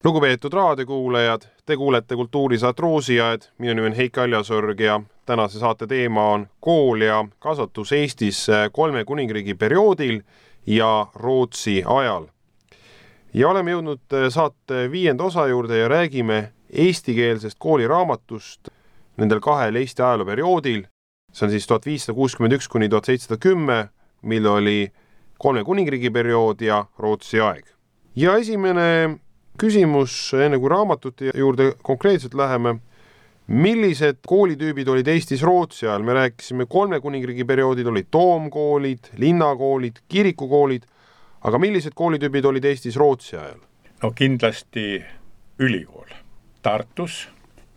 Lugupeetud raadiokuulajad, te kuulete kultuurisaat Roosiaed, minu nimi on Heiki Aljasorg ja tänase saate teema on kool ja kasvatus Eestis 3 kuningriigi perioodil ja Rootsi ajal. Ja oleme jõudnud saate 5. osa juurde ja räägime eestikeelsest kooliraamatust nendel 2 Eesti ajalooperioodil. See on siis 1561 kuni 1710, mil oli 3 kuningriigi periood ja Rootsi aeg. Ja esimene küsimus, enne kui raamatute juurde konkreetselt läheme, millised koolitüübid olid Eestis Rootsi ajal? Me rääkisime 3 kuningriigi perioodil olid toomkoolid, linnakoolid, kirikukoolid, aga millised koolitüübid olid Eestis Rootsi ajal? No kindlasti ülikool. Tartus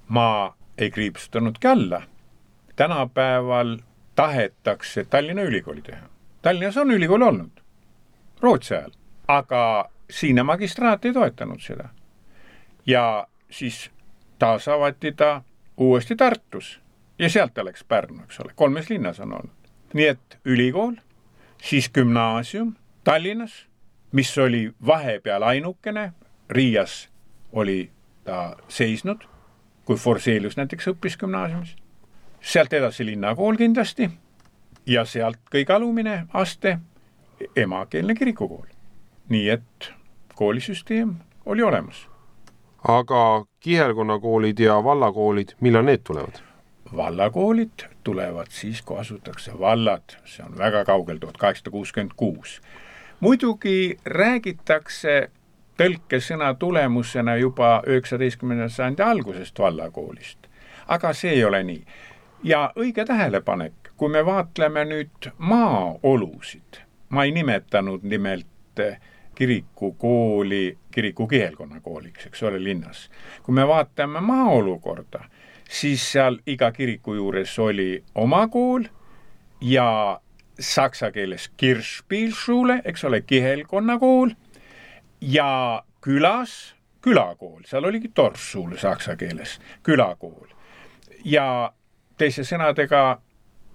ma ei kriipsutanudki alla. Tänapäeval tahetakse Tallinna ülikooli teha. Tallinnas on ülikool olnud Rootsi ajal, aga Siine magistraat ei toetanud seda. Ja siis taas avati ta uuesti Tartus ja sealt ta läks Pärnu, eks ole. 3 linnas on olnud. Nii et ülikool, siis gümnaasium Tallinnas, mis oli vahepeal ainukene, Riias oli ta seisnud, kui Forselius näiteks õppis gümnaasiumis. Sealt edasi linnakool kindlasti ja sealt kõige alumine aste emakeelne kirikukool. Nii et koolisüsteem oli olemas. Aga kihelkonnakoolid ja vallakoolid, millal need tulevad? Vallakoolid tulevad siis, kui asutakse vallad. See on väga kaugel, 1866. Muidugi räägitakse tõlkesõna tulemusena juba 19. sajandi algusest vallakoolist. Aga see ei ole nii. Ja õige tähelepanek, kui me vaatleme nüüd maaolusid, ma ei nimetanud nimelt kirikukooli, kiriku kihelkonnakooliks, eks ole, linnas. Kui me vaatame maaolukorda, siis seal iga kiriku juures oli oma kool ja saksa keeles Kirchspielschule, eks ole, kihelkonnakool ja külas külakool, seal oligi Dorfschule saksa keeles, külakool. Ja teise sõnadega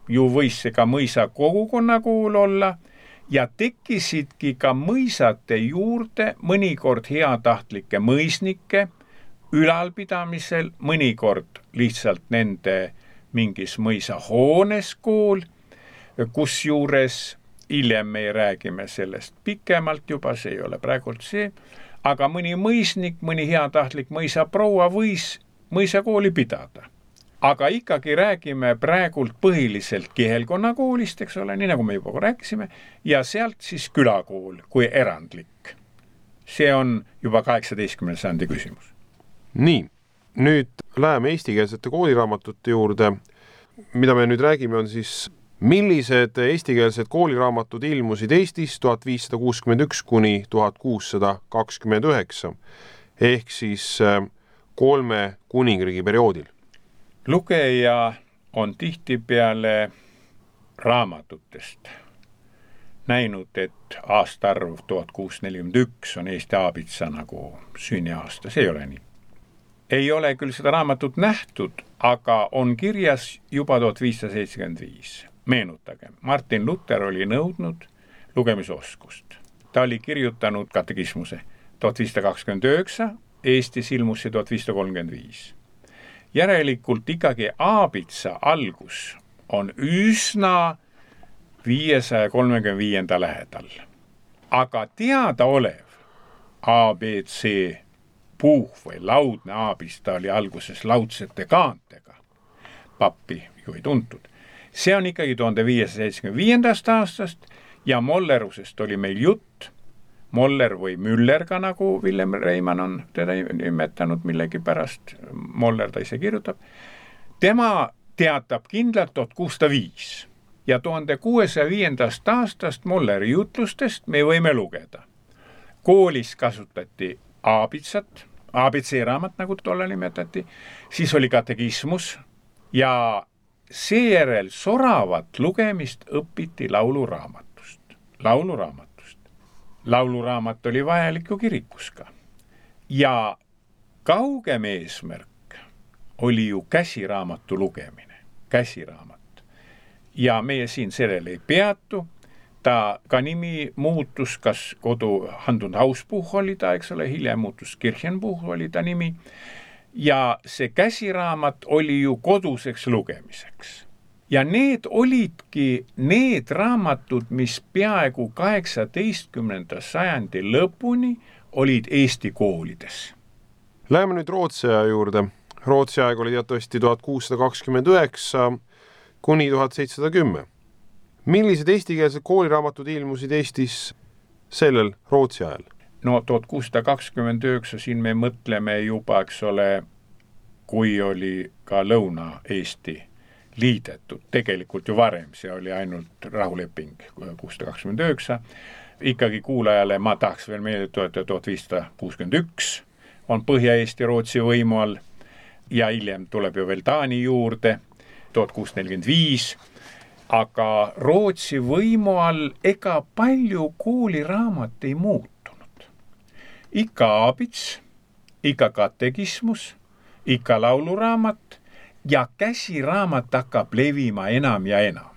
ju võis see ka mõisa kogukonnakool olla ja tekkisidki ka mõisate juurde mõnikord heatahtlikke mõisnikke ülalpidamisel, mõnikord lihtsalt nende mingis mõisahoones kool, kus juures hiljem me räägime sellest pikemalt juba, see ei ole praegult see, aga mõni mõisnik, mõni heatahtlik mõisaproua võis mõisakooli pidada. Aga ikkagi räägime praegult põhiliselt kihelkonnakoolist, eks ole, nii nagu me juba rääkisime, ja sealt siis külakool kui erandlik. See on juba 18. sajandi küsimus. Nii, nüüd läheme eestikeelsete kooliraamatute juurde. Mida me nüüd räägime on siis, millised eestikeelsed kooliraamatud ilmusid Eestis 1561 kuni 1629 ehk siis 3 kuningriigi perioodil. Lugeja on tihtipeale raamatutest näinud, et aastaarv 1641 on Eesti aabitsa nagu sünniaasta. See ei ole nii. Ei ole küll seda raamatut nähtud, aga on kirjas juba 1575. Meenutage, Martin Luther oli nõudnud lugemisoskust. Ta oli kirjutanud katekismuse 1529, Eestis ilmus see 1535. Järelikult ikkagi aabitsa algus on üsna 535. lähedal. Aga teada olev ABC puuh või laudne aabista oli alguses laudsete kaantega. Pappi ju ei tuntud. See on ikkagi 1575. aastast ja mollerusest oli meil jutt. Moller või Müller ka, nagu Villem Reimann on teda nimetanud millegi pärast, Moller ta ise kirjutab. Tema teatab kindlalt 1605 ja 1605. aastast Molleri jutlustest me võime lugeda. Koolis kasutati aabitsat, ABC-raamat, nagu tolle nimetati, siis oli katekismus ja seejärel soravat lugemist õpiti lauluraamatust. Lauluraamat oli vajalik ju kirikus ka. Ja kaugem eesmärk oli ju käsiraamatu lugemine. Käsiraamat. Ja meie siin sellele ei peatu. ta ka nimi muutus, kas kodu Handund Hausbuch oli ta, eks ole, hiljem muutus Kirchenbuch oli ta nimi. Ja see käsiraamat oli ju koduseks lugemiseks. Ja need olidki need raamatud, mis peaaegu 18. sajandi lõpuni olid Eesti koolides. Läheme nüüd Rootsi aja juurde. Rootsi aeg oli teatavasti 1629 kuni 1710. Millised eestikeelsed kooliraamatud ilmusid Eestis sellel Rootsi ajal? No 1629 siin me mõtleme juba, eks ole, kui oli ka Lõuna-Eesti liidetud. Tegelikult ju varem, see oli ainult rahuleping 1629. Ikkagi kuulajale ma tahaks veel meelde tuletada 1561 on Põhja-Eesti Rootsi võimu all ja hiljem tuleb ju veel Taani juurde 1645. Aga Rootsi võimu all ega palju kooliraamat ei muutunud. Ikka aabits, ikka katekismus, ikka lauluraamat ja käsiraamat hakkab levima enam ja enam.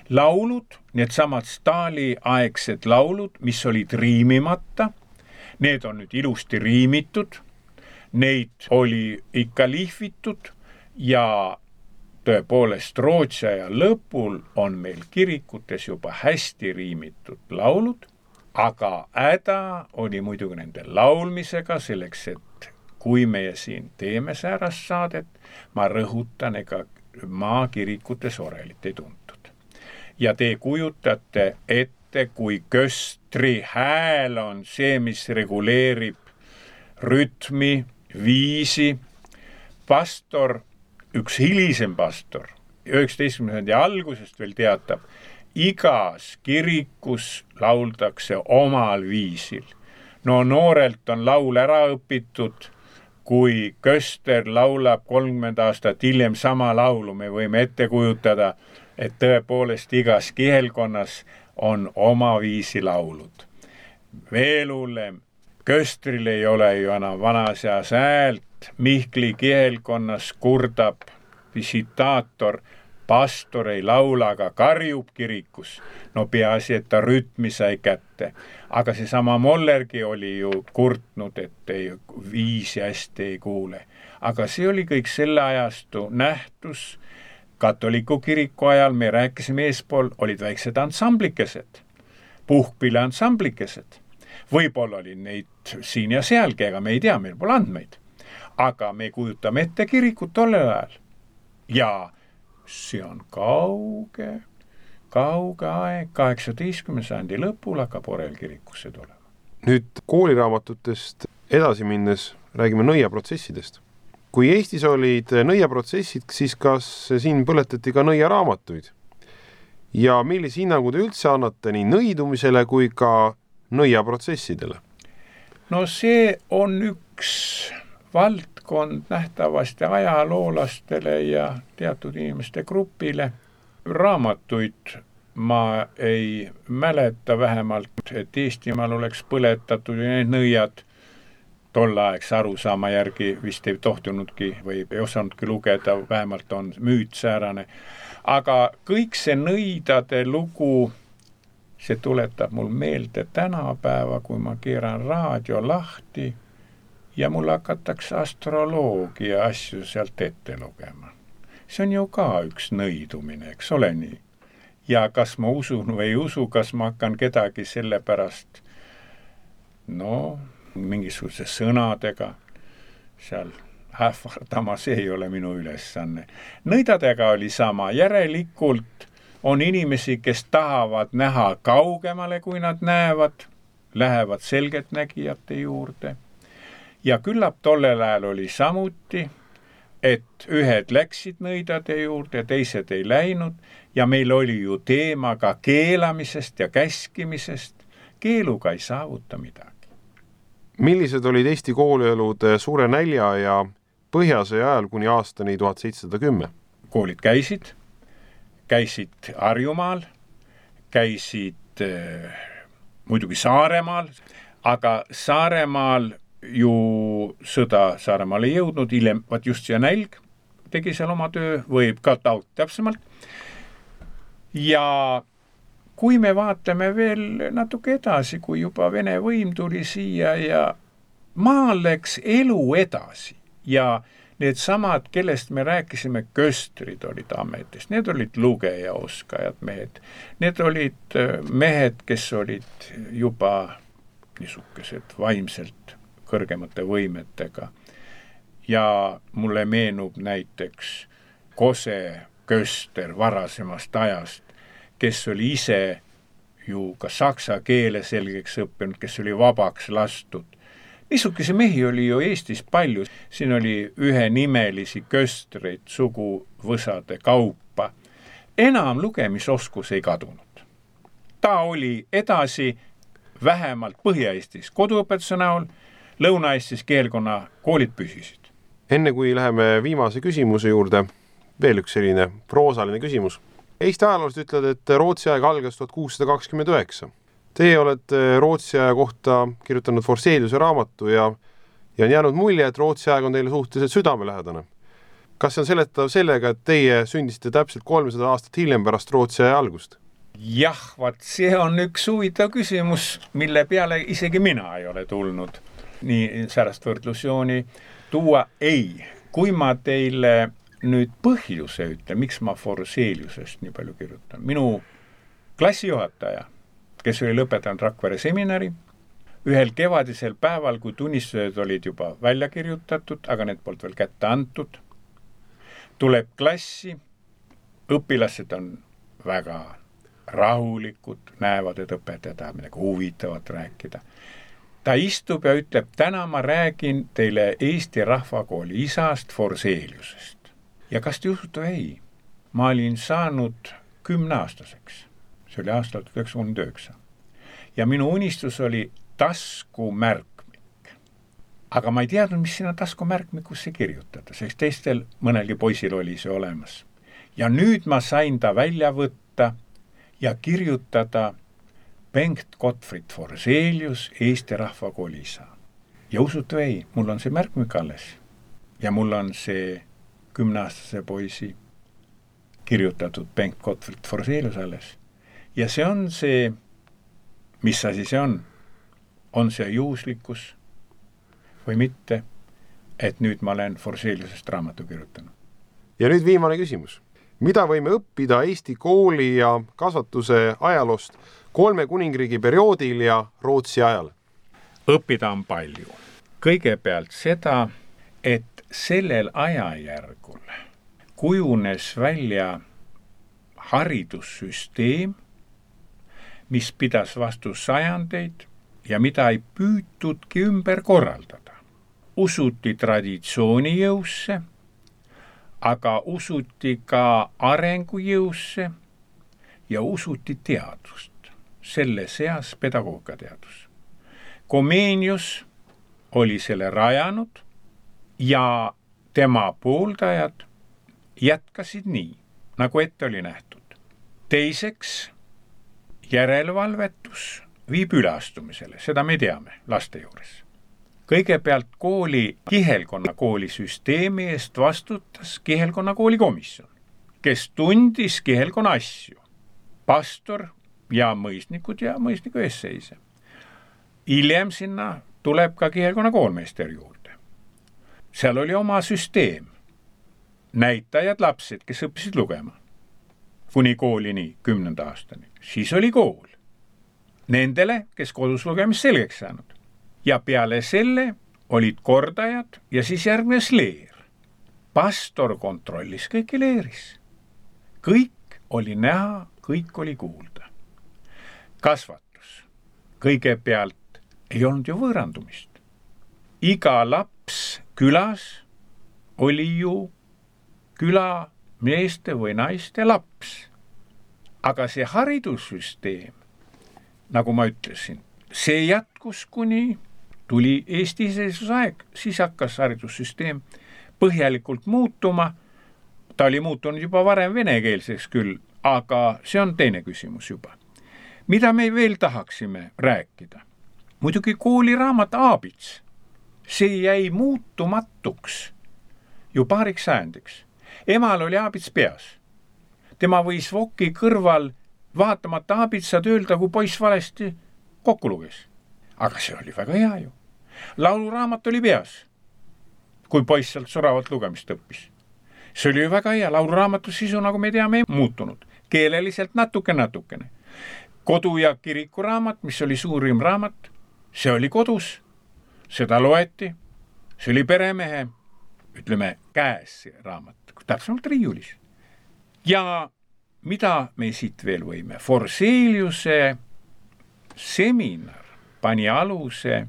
Laulud, need samad Stali-aegsed laulud, mis olid riimimata, need on nüüd ilusti riimitud, neid oli ikka lihvitud ja tõepoolest Rootsi aja lõpul on meil kirikutes juba hästi riimitud laulud, aga häda oli muidugi nende laulmisega selleks, et kui meie siin teeme säärast saadet, ma rõhutan, ega maakirikutes orelit ei tuntud. Ja te kujutate ette, kui köstri hääl on see, mis reguleerib rütmi, viisi. Pastor, üks hilisem pastor, 19. algusest veel teatab, igas kirikus lauldakse omal viisil. No noorelt on laul ära õpitud, kui köster laulab 30 aastat hiljem sama laulu, me võime ette kujutada, et tõepoolest igas kihelkonnas on oma viisi laulud. Veel hullem, köstril ei ole ju enam vanaseas häält, Mihkli kihelkonnas kurdab visitaator, pastor ei laula, aga karjub kirikus. No peaasi, et ta rütmi sai kätte. Aga see sama Mollergi oli ju kurtnud, et ei, viisi hästi ei kuule. Aga see oli kõik selle ajastu nähtus. Katoliku kiriku ajal me rääkisime eespool, olid väiksed ansamblikesed, puhkpille ansamblikesed. Võib-olla oli neid siin ja sealgi, aga me ei tea, meil pole andmeid. Aga me kujutame ette kirikut tollel ajal. Ja see on kauge aeg, 18. sajandi lõpul hakkab orel kirikusse tulema. Nüüd kooliraamatutest edasi minnes räägime nõiaprotsessidest. Kui Eestis olid nõiaprotsessid, siis kas siin põletati ka nõiaraamatuid? Ja millise hinnangu te üldse annate nii nõidumisele kui ka nõiaprotsessidele? No see on üks valdkond nähtavasti ajaloolastele ja teatud inimeste grupile. Raamatuid ma ei mäleta vähemalt, et Eestimaal oleks põletatud ja need nõiad tollaegse arusaama järgi vist ei tohtunudki või ei osanudki lugeda, vähemalt on müüt säärane. Aga kõik see nõidade lugu, see tuletab mul meelde tänapäeva, kui ma keeran raadio lahti ja mul hakatakse astroloogia asju sealt ette lugema. See on ju ka üks nõidumine, eks ole nii. Ja kas ma usun või ei usu, kas ma hakkan kedagi selle pärast mingisuguse sõnadega seal ähvardama, see ei ole minu ülesanne. Nõidadega oli sama, järelikult on inimesi, kes tahavad näha kaugemale, kui nad näevad, lähevad selgeltnägijate juurde. Ja küllap tollel ajal oli samuti, et ühed läksid nõidade juurde, teised ei läinud ja meil oli ju teema ka keelamisest ja käskimisest. Keeluga ei saavuta midagi. Millised olid Eesti koolielud suure nälja ja põhjasõja ajal kuni aastani 1710? Koolid käisid Harjumaal, käisid muidugi Saaremaal, aga Saaremaal ju sõda Saaremaal ei jõudnud, hiljem just see nälg tegi seal oma töö, võib ka taut täpsemalt. Ja kui me vaatame veel natuke edasi, kui juba Vene võim tuli siia ja maal läks elu edasi ja need samad, kellest me rääkisime, köstrid olid ametis, need olid lugejaoskajad mehed, need olid mehed, kes olid juba niisugused vaimselt kõrgemate võimetega. Ja mulle meenub näiteks Kose köster varasemast ajast, kes oli ise ju ka saksa keele selgeks õppinud, kes oli vabaks lastud. Niisuguse mehi oli ju Eestis palju. Siin oli ühenimelisi köstreid suguvõsade kaupa. Enam lugemisoskus ei kadunud. Ta oli edasi vähemalt Põhja-Eestis koduõpetuse näol, Lõuna-Eestis keelkonna koolid püsisid. Enne kui läheme viimase küsimuse juurde, veel üks selline proosaline küsimus. Eesti ajaloost ütled, et Rootsi aeg algas 1629. Teie olete Rootsi aja kohta kirjutanud Forseliuse raamatu ja on jäänud mulje, et Rootsi aeg on teile suhteliselt südamelähedane. Kas see on seletav sellega, et teie sündisite täpselt 300 aastat hiljem pärast Rootsi aja algust? Jah, see on üks huvitav küsimus, mille peale isegi mina ei ole tulnud. Nii särast võrdlusjooni tuua ei. Kui ma teile nüüd põhjuse ütlen, miks ma Forseliusest nii palju kirjutan. Minu klassijuhataja, kes oli lõpetanud Rakvere seminari, ühel kevadisel päeval, kui tunnistused olid juba välja kirjutatud, aga need polnud veel kätte antud, tuleb klassi, õpilased on väga rahulikud, näevad, et õpetaja tahab midagi huvitavat rääkida. Ta istub ja ütleb, täna ma räägin teile Eesti Rahvakooli isast Forseliusest. Ja kas te usute ei? Ma olin saanud 10-aastaseks. See oli aastal 1939. Ja minu unistus oli taskumärkmik. Aga ma ei teadnud, mis sinna taskumärkmikusse kirjutada, sest teistel mõnelgi poisil oli see olemas. Ja nüüd ma sain ta välja võtta ja kirjutada Bengt Gottfried Forselius, Eesti Rahvakooli isa. Ja usutu ei, mul on see märkmik alles. Ja mul on see 10-aastase poisi kirjutatud Bengt Gottfried Forselius alles. Ja see on see, mis asi see on? On see juhuslikkus või mitte, et nüüd ma olen Forseliusest raamatu kirjutanud? Ja nüüd viimane küsimus. Mida võime õppida Eesti kooli ja kasvatuse ajaloost 3 kuningriigi perioodil ja Rootsi ajal? Õppida on palju. Kõigepealt seda, et sellel ajajärgul kujunes välja haridussüsteem, mis pidas vastu sajandeid ja mida ei püütudki ümber korraldada. Usuti traditsioonijõusse, aga usuti ka arengujõusse ja usuti teadust. Selle seas pedagoogiateadus. Comenius oli selle rajanud ja tema pooldajad jätkasid nii, nagu ette oli nähtud. Teiseks, järelevalvetus viib üleastumisele, seda me teame laste juures. Kõigepealt kooli kihelkonna koolisüsteemi eest vastutas kihelkonna koolikomisjon, kes tundis kihelkonna asju. Pastor ja mõisnikud ja mõisniku eesseise. Hiljem sinna tuleb ka kihelkonna koolmeister juurde. Seal oli oma süsteem. Näitajad lapsed, kes õppisid lugema. Kuni koolini 10. aastani. Siis oli kool. Nendele, kes kodus lugemist selgeks saanud. Ja peale selle olid kordajad ja siis järgnes leer. Pastor kontrollis kõiki leeris. Kõik oli näha, kõik oli kuulda. Kasvatus. Kõigepealt ei olnud ju võõrandumist. Iga laps külas oli ju küla meeste või naiste laps. Aga see haridussüsteem, nagu ma ütlesin, see jätkus kuni tuli Eesti iseseisvusaeg, siis hakkas haridussüsteem põhjalikult muutuma. Ta oli muutunud juba varem venekeelseks küll, aga see on teine küsimus juba. Mida me veel tahaksime rääkida? Muidugi kooliraamat Aabits. See jäi muutumatuks ju paariks sajandiks. Emal oli Aabits peas. Tema võis voki kõrval vaatamata abitsad öelda, kui poiss valesti kokku luges. Aga see oli väga hea ju. Lauluraamat oli peas, kui poiss sealt soravalt lugemist õppis. See oli ju väga hea, lauluraamatu sisu, nagu me teame, ei muutunud. Keeleliselt natukene. Kodu- ja kirikuraamat, mis oli suurim raamat, see oli kodus, seda loeti, see oli peremehe, ütleme, käes see raamat, täpsemalt riiulis. Ja mida me siit veel võime? Forseliuse seminar pani aluse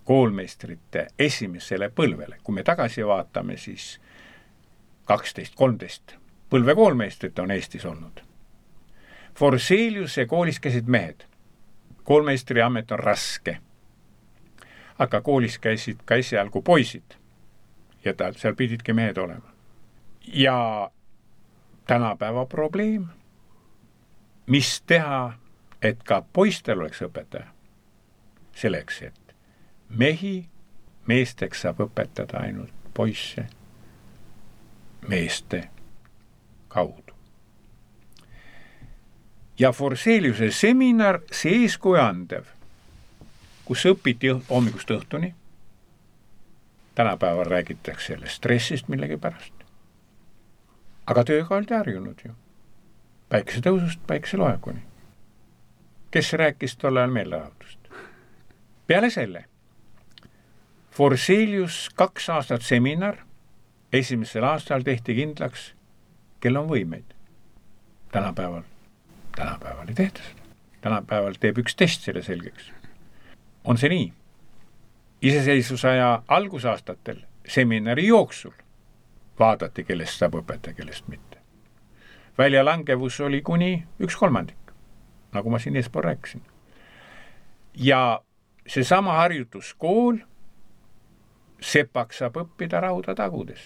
koolmeistrite esimesele põlvele. Kui me tagasi vaatame, siis 12-13 põlve koolmeistrit on Eestis olnud. Forseliuse koolis käisid mehed. Koolmeistri amet on raske. Aga koolis käisid ka esialgu poisid. Ja seal pididki mehed olema. Ja tänapäeva probleem, mis teha, et ka poistel oleks õpetaja. Selleks, et meesteks saab õpetada ainult poisse meeste kaudu. Ja Forseliuse seminar, see eeskuju andev, kus õpiti hommikust õhtuni. Tänapäeval räägitakse sellest stressist millegi pärast. Aga tööga oldi harjunud ju. Päikese tõusust päikese loekuni. Kes rääkis tolle ajal meelelaadust? Peale selle, Forselius 2 aastat seminar, esimesel aastal tehti kindlaks, kel on võimeid. Tänapäeval ei tehta seda. Tänapäeval teeb üks test selle selgeks. On see nii? Iseseisvusaja algusaastatel seminari jooksul vaadati, kellest saab õpetaja, kellest mitte. Väljalangevus oli kuni 1/3, nagu ma siin eespool rääkisin. Ja seesama harjutuskool, sepaks saab õppida rauda tagudes.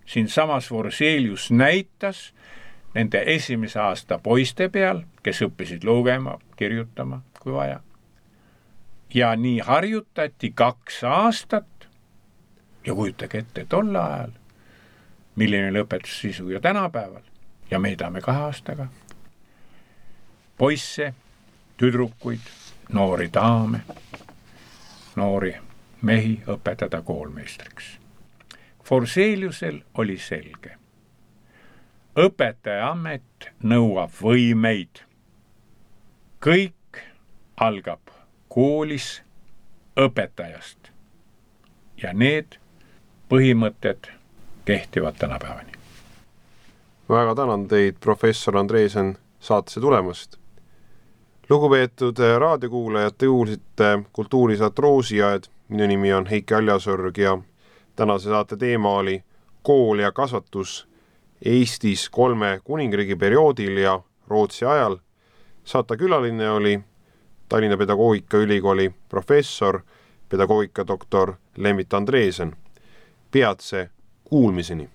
Siin samas Forselius näitas nende esimese aasta poiste peal, kes õppisid lugema, kirjutama, kui vaja. Ja nii harjutati 2 aastat ja kujutage ette tolle ajal, milline oli õpetussisu ja tänapäeval. Ja me tahame 2 aastaga poisse, tüdrukuid, noori daame, noori mehi õpetada koolmeistriks. Forseliusel oli selge. Õpetaja amet nõuab võimeid. Kõik algab koolis õpetajast. Ja need põhimõtted kehtivad tänapäevani. Väga tänan teid, professor Andreesen, saatesse tulemast. Lugupeetud raadiokuulajad, te kuulsite Kultuurisaat Roosiaed. Minu nimi on Heiki Aljasorg ja tänase saate teema oli kool ja kasvatus Eestis 3 kuningriigi perioodil ja Rootsi ajal. Saatekülaline oli Tallinna Pedagoogikaülikooli professor, pedagoogikadoktor Lembit Andreesen. Peatse kuulmiseni!